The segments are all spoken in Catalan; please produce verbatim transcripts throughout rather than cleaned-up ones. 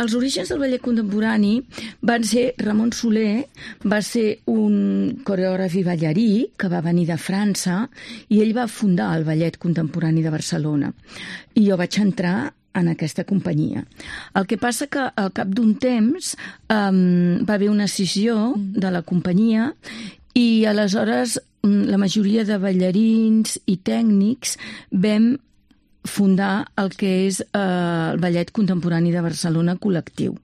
els orígens del ballet contemporani van ser Ramon Soler, va ser un coreògraf i ballarí que va venir de França i ell va fundar el Ballet Contemporani de Barcelona. I jo vaig entrar en aquesta companyia. El que passa que al cap d'un temps um, va haver una escissió de la companyia i aleshores la majoria de ballarins i tècnics vam fundar el que és eh, el Ballet Contemporani de Barcelona col·lectiu.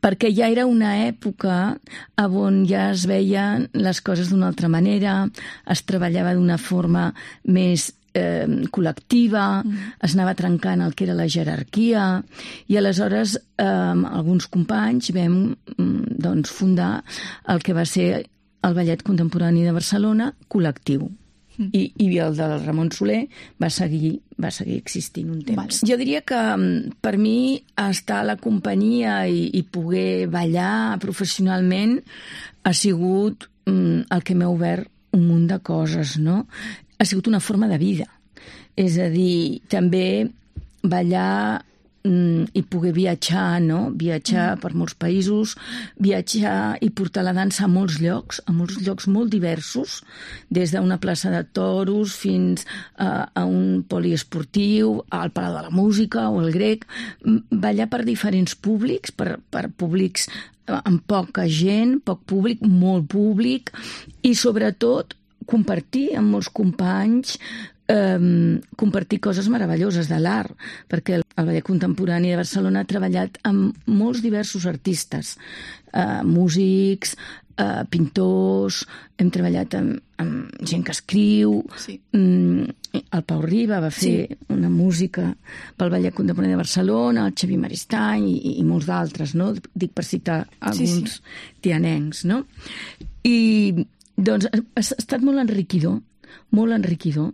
Perquè ja era una època on ja es veien les coses d'una altra manera, es treballava d'una forma més eh, col·lectiva, mm. es anava trencant el que era la jerarquia, i aleshores eh, alguns companys vam doncs, fundar el que va ser el Ballet Contemporani de Barcelona col·lectiu. I, i el del Ramon Soler va seguir, va seguir existint un temps. Vale. Jo diria que per mi estar a la companyia i, i poder ballar professionalment ha sigut mm, el que m'ha obert un munt de coses, no? Ha sigut una forma de vida. És a dir, també ballar i poder viatjar, no? Viatjar mm. per molts països, viatjar i portar la dansa a molts llocs, a molts llocs molt diversos, des d'una plaça de toros fins a, a un poliesportiu, al Palau de la Música o al Grec, ballar per diferents públics, per, per públics amb poca gent, poc públic, molt públic, i sobretot compartir amb molts companys Um, compartir coses meravelloses de l'art, perquè el, el Ballet Contemporani de Barcelona ha treballat amb molts diversos artistes, uh, músics, uh, pintors, hem treballat amb, amb gent que escriu, sí. um, el Pau Riba va fer sí. una música pel Ballet Contemporani de Barcelona, el Xavier Maristany i, i molts d'altres, no? Dic per citar alguns sí, sí. tianencs, no? I doncs ha, ha estat molt enriquidor, molt enriquidor,